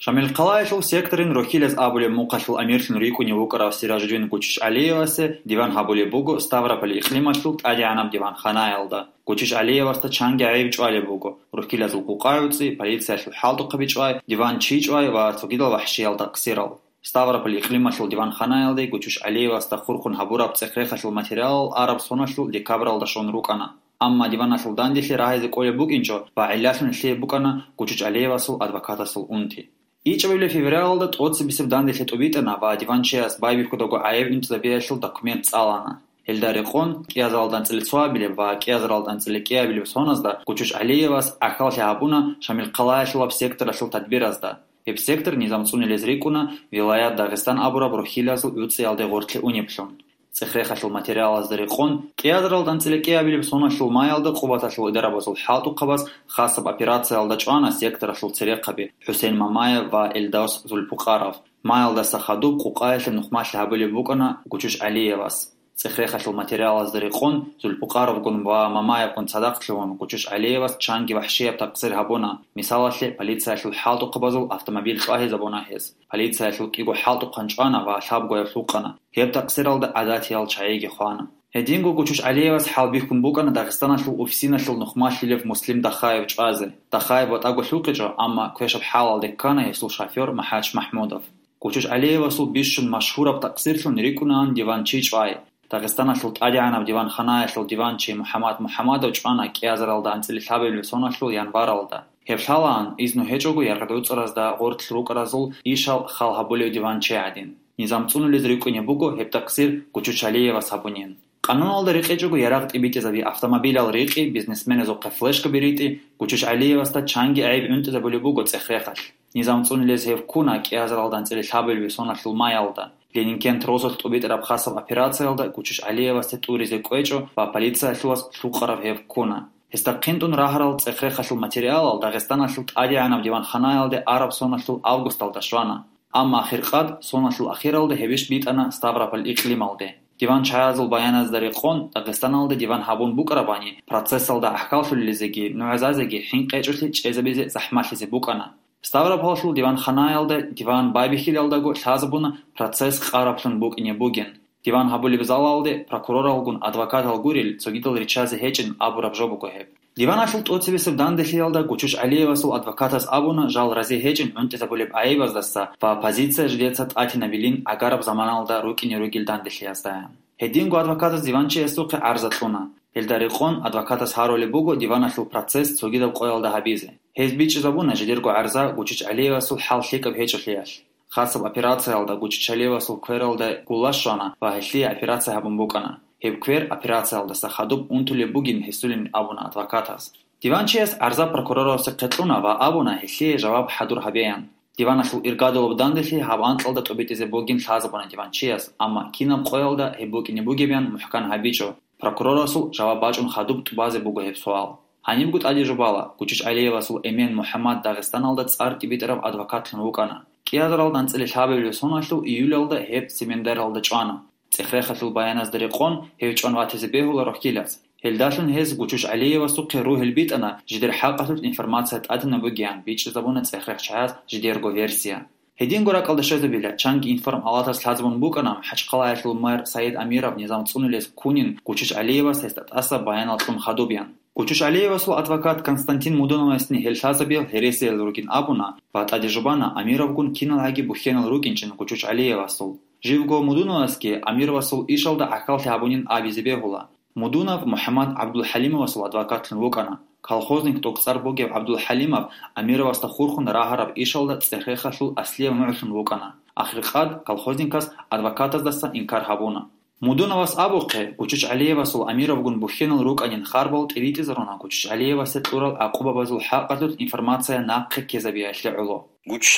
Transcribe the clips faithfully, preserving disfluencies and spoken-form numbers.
Шамилхъалаялъул секторин Рохилаз абулеб мухъалъул амирлъун рикӀкӀунев вукӀарав Сиражудин Гучуч ГӀалиевасе диван гьабулеб буго Ставрополь икълималъул тӀадегӀанаб диванханаялда. Гучуч ГӀалиевасда чанги гӀайиб чӀвалеб буго: рухьилазул къукъа-гӀуцӀи, полициялъул хӀалтӀухъаби чӀвай, диван чи чӀвай ва цогидал вахӀшиял такъсирал. Ставрополь икълималъул диванханаялде Гучуч ГӀалиевасда хурхун гьабураб цӀех-рехалъул материалал араб соналъул декабралда щун рукӀана. Амма диваналъул данделъи рагьизе кӀолеб букӀинчӀо ва гӀиллалъун лъие букӀана Гучуч ГӀалиевасул адвокатасул унти. ИчӀабилеб февралалда тӀоцебесеб данделъи тӀубитӀана ва диванчияс байбихьудаго гӀайиб унтизабиялъул документ цӀалана. Гьелда рекъон кӀиазаралда анцӀила цоабилеб ва кӀиазаралда анцӀила кӀиабилеб соназда Гучуч ГӀалиевас гӀахьаллъи гьабуна Шамилхъалаялъулаб секторалъул тадбиразда. Гьеб сектор низам цӀунулез рикӀкӀуна вилаят Дагъистан абураб рухьилазул гӀуцӀиялде гъорлъе унеблъун. ЦӀех-рехалъул материалазда рекъон, кӀиазаралда анцӀила кӀиабилеб соналъул маялда Къубаталъул идарабазул хӀалтӀухъабаз хасаб операциялда чӀвана секторалъул церехъаби ХӀусен Мамаев ва Элдос Зулпукъаров. Маялдаса хадуб къукъаялъе нухмалъи гьабулеб букӀана Гучуч ГӀалиевас. ЦӀех-рехалъул материалазда рекъон, Зулпукъаровгун ва Мамаевгун цадахъ лъугьун, Гучуч ГӀалиевас чанги вахӀшияб такъсир гьабуна. Мисалалъе, полициялъул хӀалтӀухъабазул автомобиль чӀвагьизабуна гьез. Полициялъул кӀиго хӀалтӀухъан чӀвана ва лъабгояб лъукъана. Гьеб такъсиралда гӀадатиял чагӀиги хвана. Гьединго Гучуч ГӀалиевас хӀалбихьун букӀана Дагъистаналъул УФСИНалъул нухмалъилев Муслим Дахаев чӀвазе. Дахаев ватӀаго лъукъичӀо, амма квешаб хӀалалде ккана гьесул шофер МахӀач МахӀмудов. Гучуч ГӀалиевасул бищун машгьураб такъсирлъун рикӀкӀунаан диван чи чӀвай. Дагъистаналъул тӀадегӀанаб диванханаялъул диван чи МухӀаммад МухӀаммадов чӀвана кӀиазаралда анцӀила лъабабилеб соналъул январалда. Гьеб лъалаан, изну гьечӀого яргъад гӀуцӀаразда гъорлъ рукӀаразул ишал хал гьабулев диван чи гӀадин. Низам цӀунулез рикӀкӀунеб буго гьеб такъсир Гучуч ГӀалиевас гьабунин. Къануналда рекъечӀого ярагъ тӀибитӀизаби автомобилал рикъи, бизнесменазухъе флешкаби ритӀи, Гучуч ГӀалиевасда чанги гӀайиб гӀунтӀизабулеб буго цӀех-рехалъ. Низам цӀунулез гьев ккуна кӀиазаралда анцӀила лъабабилеб соналъул маялда. Ленинкент розалъ тӀубитӀараб хасаб операциялда Гучуч ГӀалиевасде тӀуризе кӀвечӀо ва полициялъулас лъукъарав гьев ккуна. Гьесда хъинтӀун рагьарал цӀех-рехалъул материалал Дагъистаналъул тӀадегӀанаб диванханаялде араб соналъул августалда щвана. Амма ахиркъад, соналъул ахиралда гьебищ битӀана Ставрополь икълималде. Диван чагӀазул баяназда рекъон, Дагъистаналда диван гьабун букӀарабани, процессалда гӀахьаллъулелизеги нугӀзазеги хӀинкъи гьечӀолъи чӀезабизе захӀмалъизе букӀана. Ставрополалъул диванханаялда диван байбихьилалдаго лъазабуна процесс къараблъун букӀине бугин. Диван гьабулеб залалде прокуроралгун адвокатал гурел цогидал риччазе гьечӀин абураб жо буго гьеб. Диваналъул тӀоцебесеб данделъиялда Гучуч ГӀалиевасул адвокатас абуна жал рази гьечӀин гӀунтӀизабулеб гӀайибаздаса ва позиция жидеца тӀатинабилин гӀагараб заманалда рукӀине ругел данделъиязда. Гьединго адвокатас диванчиясухъе гӀарза кьуна. Гьелда рекъон адвокатас гьарулеб буго диваналъул процесс цогидаб къоялда гьабизе. Гьез бичӀчӀизабуна жидерго гӀарза Гучуч ГӀалиевасул хӀал лъикӀаб гьечӀолъиялъ. Хасаб операциялда Гучуч ГӀалиевасул квералда гулла щвана ва гьелъие операция гьабун букӀана. Гьеб квер операциялдаса хадуб унтулеб бугин гьесулин абуна адвокатас. Диванчияс гӀарза прокурорасухъе кьуна ва абуна гьелъие жаваб хӀадур гьабеян. Диваналъул иргадулаб данделъи гьаб анкьалда тӀубитӀизе бугин лъазабуна диванчияс, амма кинаб къоялда гьеб букӀине бугебян мухӀкан гьабичӀо. Прокурорасул жаваб бачӀун хадуб тӀубазе буго гьеб суал. Гьанибго тӀаде жубала, Гучуч ГӀалиевасул эмен МухӀаммад Дагъистаналда цӀар тӀибитӀараб адвокатлъун вукӀана. КӀиазаралда анцӀила лъабабилеб соналъул июлалда гьеб Цемендералда чӀвана. ЦӀех-рехалъул баяназда рекъон, гьев чӀван ватизе бегьула рохьилаз. Гьелдалъун гьез Гучуч ГӀалиевасухъе ругьел битӀана, жидер хӀакъалъулъ информация тӀадинаб бугеян бичӀчӀизабуна цӀех-рехчаяс жидерго версия. Гьединго ракӀалда щвезабила, чанги информ-палатас лъазабун букӀана МахӀачхъалаялъул мэр Саид Амиров низам цӀунулес ккунин Гучуч ГӀалиевас гьесда тӀаса баянал кьун хадуб ян. Гучуч ГӀалиевасул адвокат Константин Мудуновасни гьел лъазабиял гьересиял ругин абуна ва тӀаде жубана Амировгун киналгӀаги бухьенал рукӀинчӀин Гучуч ГӀалиевасул. Живго Мудуновасги Амировасул ишалда гӀахьаллъи гьабунин абизе бегьула. Мудунов МухӀаммад ГӀабдулхӀалимовасул адвокатлъун вукӀана. Колхозник тӀокӀцӀар бугев ГӀабдулхӀалимов Амировасда хурхун рагьараб ишалда цӀех-рехалъул аслияв нугӀлъун вукӀана. Ахиркъад колхозникас адвокатаздаса инкар гьабуна. Мудуновас абухъе, Гучуч ГӀалиевасул Амировгун бухьенал рукӀанин харбал тӀибитӀизаруна Гучуч ГӀалиевасе кьурал гӀакъубабазул хӀакъалъулъ информация нахъе ккезабиялъе гӀоло. Гучуч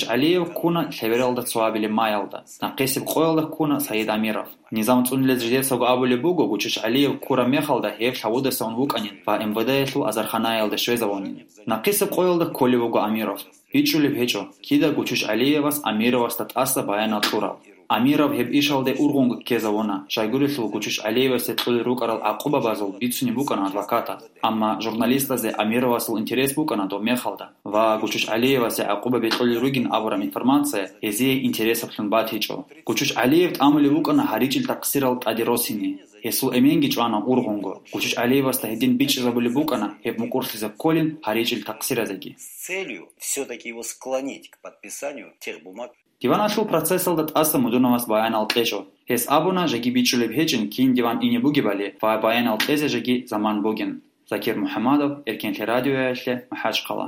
ГӀалиев ккуна лъебералда цоабилеб маялда. Нахъисеб къоялда ккуна Саид Амиров. Низам цӀунулез жидецаго абулеб буго, Гучуч ГӀалиев ккураб мехалда гьев лъавудаса ун вукӀанин ва МВД-ялъул азарханаялда щвезавунин. Нахъисеб къоялда кколев вуго Амиров. БичӀчӀулеб гьечӀо, кида Гучуч ГӀалиевас Амировасда тӀаса баянал кьурал. Амиров гьеб ишалде ургъунго ккезавуна, щайгурелъул Гучуч ГӀалиевасде кьолел рукӀарал гӀакъубабазул бицунеб букӀана адвокатас. Амма журналистазе Амировасул интерес букӀана доб мехалда, ва Гучуч ГӀалиевасе гӀакъубаби кьолел ругин абураб информация гьезие интересаблъун батичӀо. Гучуч ГӀалиев тӀамулеб букӀана гьаричӀил такъсирал тӀаде росине. Гьесул эменги чӀвана ургъунго. Гучуч ГӀалиевасда гьедин бичӀчӀизабулеб букӀана гьеб мукӀурлъизе кколин гьаричӀил такъсиразеги. С целью всё-таки его склонить к подписанию тех бумаг. Диваналъул процессалда тӀаса Мудуновас баянал кьечӀо. Гьес абуна, жеги бичӀчӀулеб гьечӀин кин диван ине бугебали ва баянал кьезе жеги заман бугин. Закир МухӀамадов, Эркенлъи радиоялъе, МахӀачхъала.